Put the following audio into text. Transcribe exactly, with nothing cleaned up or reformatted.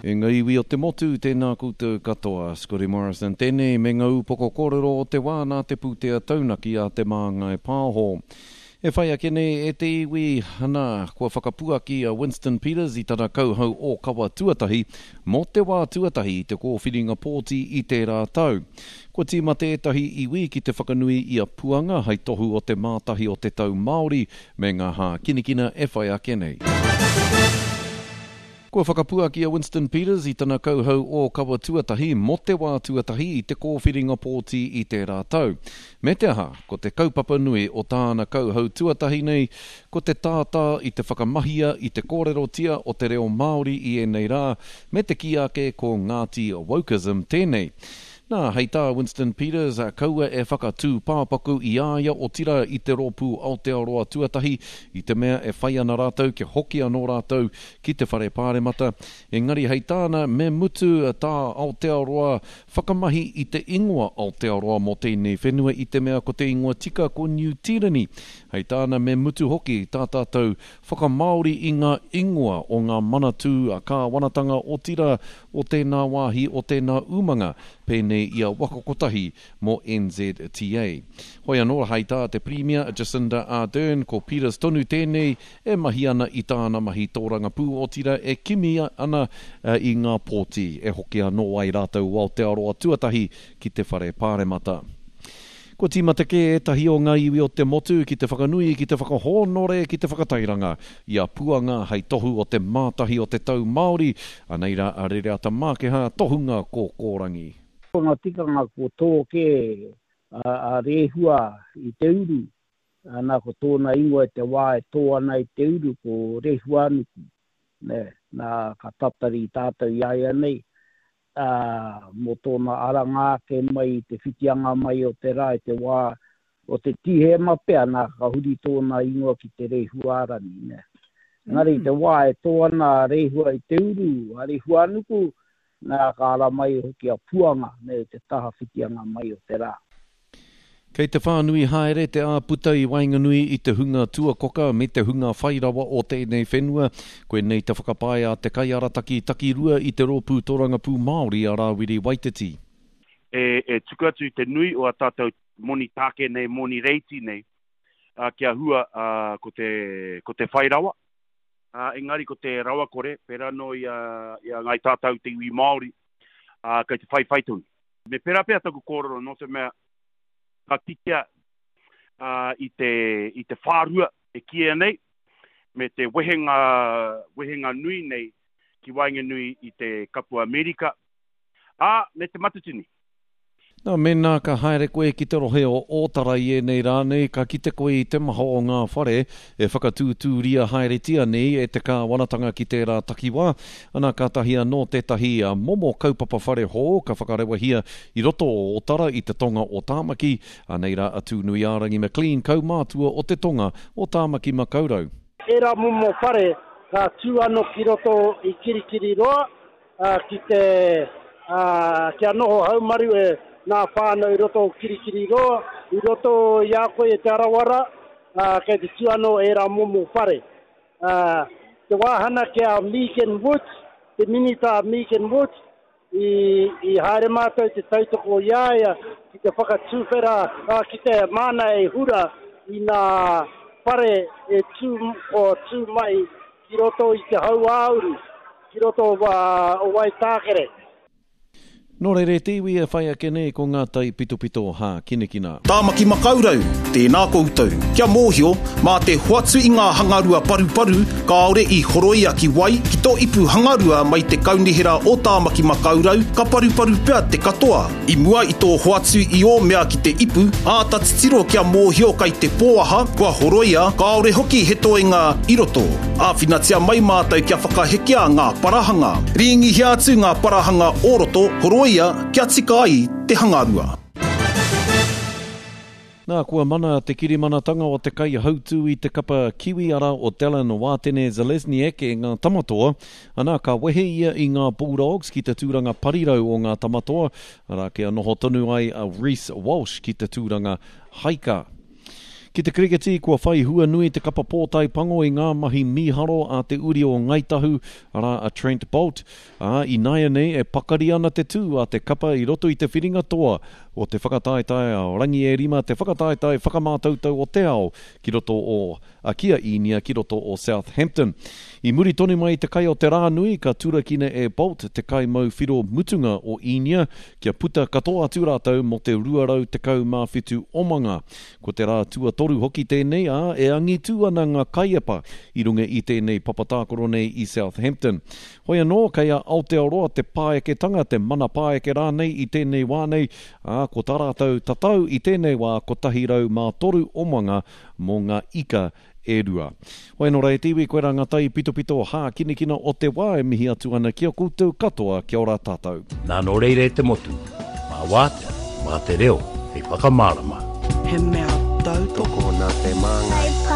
E ngā iwi o te motu, tēnā koutou katoa. Scotty Morrison tēnei me ngā upoko kōrero o te wā nā te pūtea taunaki a Te Māngai Pāho. E whai ake nei e te iwi, ana, kua whakapuaki a Winston Peters i tana kauhau ōkawa tuatahi mō te wā tuatahi i te kōwhiringa pōti i tērā tau. Kua tīmata ētahi iwi ki te whakanui i a Puanga hai tohu o te mātahi o te tau Māori me ngā hākinakina e whai ake nei. Kua whakapuaki a Winston Peters i tana kauhau ōkawa tuatahi mō te wā tuatahi i te kōwhiringa pōti i tērā tau. Me te aha, ko te kaupapa nui o tāna kauhau tuatahi nei, ko te tātā i te whakamahia i te kōrerotia o te reo Māori i ēnei rā, me te kī ake ko Ngāti Wokeism tēnei. Nā, hei tā Winston Peters, kaua e whakatūpāpaku i a ia otirā i te rōpū Aotearoa Tuatahi i te mea e whai ana rātou kia hoki anō rātou ki te whare pāremata. Engari hei tāna, me mutu tā Aotearoa whakamahi i te ingoa Aotearoa mō tēnei whenua i te mea ko te ingoa tika ko Niu Tīreni. Hei tāna, me mutu hoki tā tātou whakamāori i ngā ingoa o ngā manatū kāwanatanga otirā o tēnā wāhi o tēnā umanga, pēnei i a Waka Kotahi mō N Z T A. Hoi anō, hei tā te Pirimia Jacinda Ardern, ko Peters tonu tēnei e mahi ana i tāna mahi tōrangapū otirā e kimi ana i ngā pōti e hoki anō ai rātou Aotearoa tuatahi ki te whare pāremata. Kua tīmata kē ētahi o ngā iwi o te motu ki te whakanui, ki te whakahōnore, ki te whakatairanga i a Puanga hei tohu o te mātahi o te tau Māori, anei rā a Rereata Mākeha, tohunga kōkōrangi. Ko ngā tikanga ko tō kē a, a Rehua i te uru, ana ko tōna ingoa i te wā e tō ana i te uru ko Rehuanuku. Ne, nā ka tatari tātou i a ia nei, ā, mō tōna aranga ake mai i te whitianga mai o te rā i te wā o te Tīhema pea, nā ka huri tōna ingoa ki te Rehuarangi. Ne. Engari i te wā e tō ana a Rehua i te uru, a Rehuanuku, nā ka ara mai hoki a Puanga, ne, te taha whitianga mai o te rā. Kei te whānui haere te āputa i waenganui i te hunga tuakoka me te hunga whairawa o tēnei whenua. Koinei te whakapae a te kaiarataki takirua i te rōpū tōrangapū Māori a Rāwiri Waititi. E, e tuku atu i te nui o a tātou moni tāke nei, moni reiti nei, a, kia hua a, ko te, ko te whairawa. A, engari ko te rawakore, pērā no i a, i a ngai tātou te iwi Māori, a, kei te whaiwhai tonu. Me pērā pea taku kōrero, nō te mea, ka kitea uh, i te, i te whārua e kīia nei, me te wehenga, wehenga nui nei ki waenganui i te Kapu Amerika, ā, me te Matatini. Nā, mēnā ka haere koe ki te rohe o Ōtara i ēnei rā nei, ka kite koe i te maha o ngā whare e whakatūtūria haeretia nei e te kāwanatanga ki tērā takiwā. Ana, kātahi anō tētahi momo kaupapa whare hou ka whakarewahia i roto o Ōtara i te tonga o Tāmaki. Anei rā a Tūnuiārangi McLean, kaumātua o te tonga o Tāmaki Makaurau. Ērā momo whare ka tū anō ki roto i Kirikiriroa, ki te, kia noho haumaru e ngā whānau i roto o Kirikiriroa, i roto i a koe e Te Arawara, kei te tū anō ērā momo whare. Te wāhana ki a Megan Woods, te minita a Megan Woods, i, i haere mātou te tautoko i a ia ki te whakatūwhera, ki te māna e hura i ngā whare e tū, o tū mai ki roto i te hauāuru, ki roto o Waitākere. Nō reira te iwi e whai ake nei ko ngā tai pitopito hākinakina. Tāmaki Makaurau, tēnā koutou. Kia mōhio, mā te hoatu i ngā hangarua paruparu, kāore i horoia ki wai, ki tō ipu hangarua mai te kaunihera o Tāmaki Makaurau, ka paruparu pea te katoa. I mua i tō hoatu i ō mea ki te ipu, āta titiro kia mōhio kai te pōaha, kua horoia, kāore hoki he toenga i roto. Āwhinatia mai mātou kia whakahekea ngā parahanga. Rīngihia atu ngā parahanga o roto, horoia kia tika ai te hangarua. Nā, kua mana te kirimanatanga o te kaihautū i te kapa Kiwi ara o Dallin Wātene Zelezniak e ngā tamatoa. Ana, ka wehe ia i ngā Bulldogs ki te tūranga parirau o ngā tamatoa, arā kia noho tonu ai a Reece Walsh ki te tūranga haika. Ki te kiriketi, kua whai hua nui te kapa pōtae pango i ngā mahi mīharo a te uri o Ngāi Tahu, arā a Trent Boult, ā, ināianei e pakari ana te tū a te kapa i roto i te whiringa toa o te whakataetae a Rangi e Rima, te whakataetae whakamātautau o te ao ki roto o a ki a Īnia ki roto o Southampton. I muri tonu mai i te kai o te rā nui, ka turakina e Boult te kai mau whiro mutunga o Īnia kia puta katoa atu rātou mō te rua rau tekau mā whitu omanga. Ko te rā tuatoru hoki tēnei, ā, e angitū ana ngā kaiepa i runga i tēnei papatākaro nei i Southampton. Hoi anō, kei a Aotearoa te pāeketanga, te mana pāeke rānei i tēnei wā nei, ā, ko tā rātou tatau i tēnei wā kotahi rau mā toru omanga mō ngā ika e rua. Hoi anō rā e te iwi, koirā ngā tai pitopito hākinakina o te wā e mihi atu ana ki a koutou katoa, kia ora tātou. Nā nō reira e te motu, mā wātea, mā te reo, hei whakamārama. He mea tautoko. Tokona te māngai.